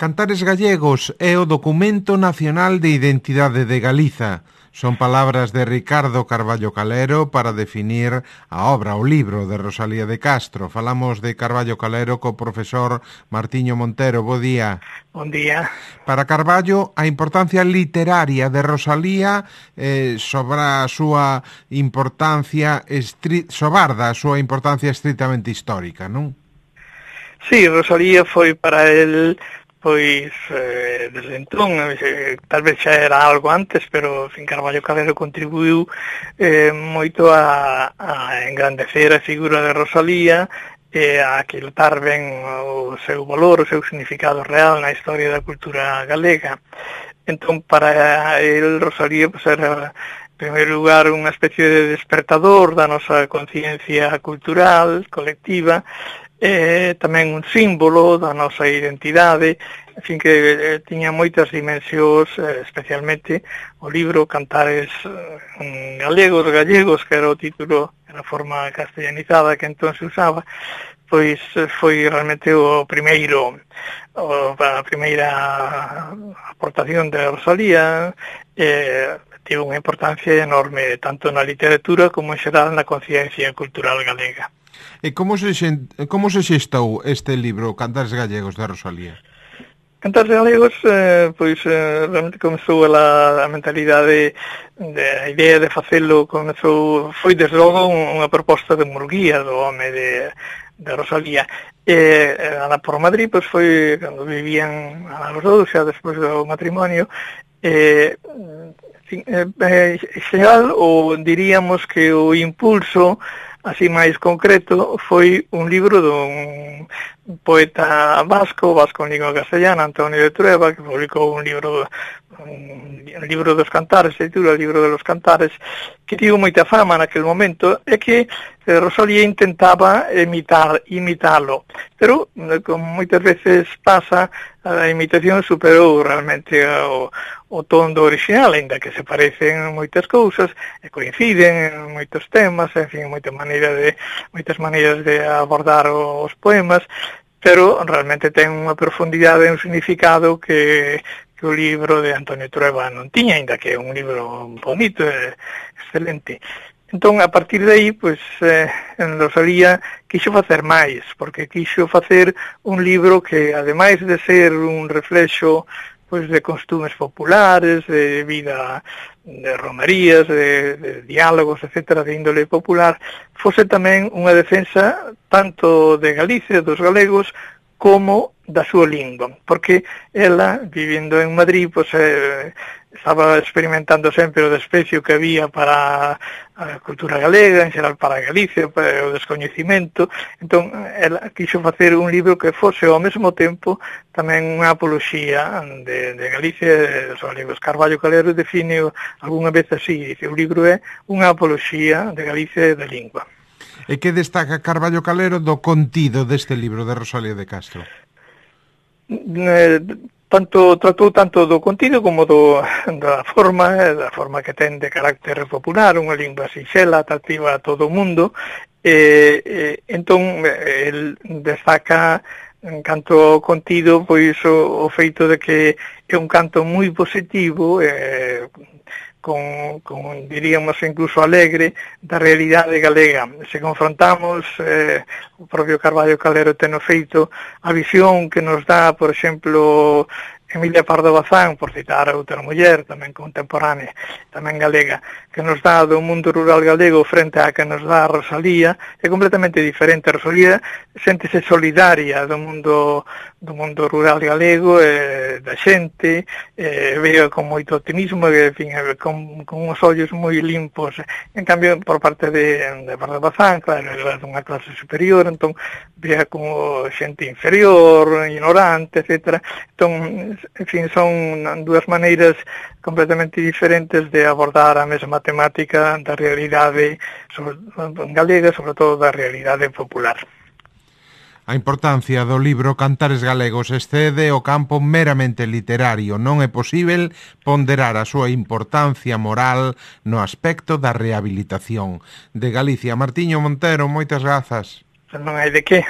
Cantares Gallegos é o documento nacional de identidade de Galiza. Son palabras de Ricardo Carballo Calero para definir a obra, o libro de Rosalía de Castro. Falamos de Carballo Calero co profesor Martiño Montero. Bo día. Bon día. Para Carballo, a importancia literaria de Rosalía sobarda a súa importancia estritamente histórica, non? Sí, Rosalía foi para el, pois, desde entón, tal vez xa era algo antes, pero Carballo Calero contribuiu moito a engrandecer a figura de Rosalía, a aquilatar ben o seu valor, o seu significado real na historia da cultura galega. Entón, para el, Rosalía, pues, era, en primeiro lugar, unha especie de despertador da nosa conciencia cultural, colectiva, tamén un símbolo da nosa identidade, en fin, que tiña moitas dimensións, especialmente o libro Cantares gallegos, que era o título, era a forma castellanizada que entón se usaba, pois foi realmente a primeira aportación de Rosalía, tivo unha importancia enorme, tanto na literatura como en xeral na conciencia cultural galega. E como se xestou este libro, Cantares Gallegos, de Rosalía? Cantares Galegos, realmente comezou a mentalidade, a idea de facelo, foi desde logo unha proposta de Murguía, do home de Rosalía. Ana por Madrid, pois foi cando vivían a los dous, xa despois do matrimonio, xeral, ou diríamos que o impulso así máis concreto, foi un libro dun poeta vasco en lingua castellana, Antonio de Trueba, que publicou un libro dos Cantares, se titula El libro de los Cantares, que tivo moita fama naquele momento, e que Rosalía intentaba imitalo, pero como moitas veces pasa, a imitación superou realmente o tono original, ainda que se parecen moitas cousas, e coinciden en moitos temas, en fin, moitas maneiras de abordar os poemas, pero realmente ten unha profundidade e un significado que o libro de Antonio Trueba non tiña, ainda que é un libro bonito e excelente. Entón, a partir de aí, pois, Rosalía quixo facer máis, porque quixo facer un libro que, ademais de ser un reflexo, pois, de costumes populares, de vida, de romerías, de diálogos, etcétera, de índole popular, fose tamén unha defensa tanto de Galicia, dos galegos, como da súa lingua, porque ela, vivindo en Madrid, pois, estaba experimentando sempre o desprecio que había para a cultura galega, en xeral para Galicia, para o descoñecimento. Entón, ela quixo facer un libro que fose ao mesmo tempo tamén unha apoloxía de Galicia e dos galegos. Carballo Calero define algunha vez así, dice, o libro é unha apoloxía de Galicia e da lingua. E que destaca Carballo Calero do contido deste libro de Rosalía de Castro? Tratou tanto do contido como da forma que ten de carácter popular, unha lingua sinxela, atractiva a todo o mundo, entón el destaca en canto ao contido, pois o feito de que é un canto moi positivo, con diríamos incluso alegre, da realidade galega. Se confrontamos, o propio Carballo Calero ten feito, a visión que nos dá, por exemplo, Emilia Pardo Bazán, por citar a outra muller, tamén contemporánea, tamén galega, que nos dá do mundo rural galego frente a que nos dá a Rosalía, é completamente diferente. A Rosalía séntese solidaria do mundo rural galego, da xente, veo con moito optimismo, en fin, con uns ollos moi limpos. En cambio, por parte de Pardo Bazán, claro, é dunha clase superior, entón, vea como xente inferior, ignorante, etc. Entón, en fin, son dúas maneiras completamente diferentes de abordar a mesma temática da realidade galega, sobre todo da realidade popular. A importancia do libro Cantares Galegos excede o campo meramente literario. Non é posíbel ponderar a súa importancia moral no aspecto da rehabilitación. De Galicia, Martiño Montero, moitas grazas. Non hai de que.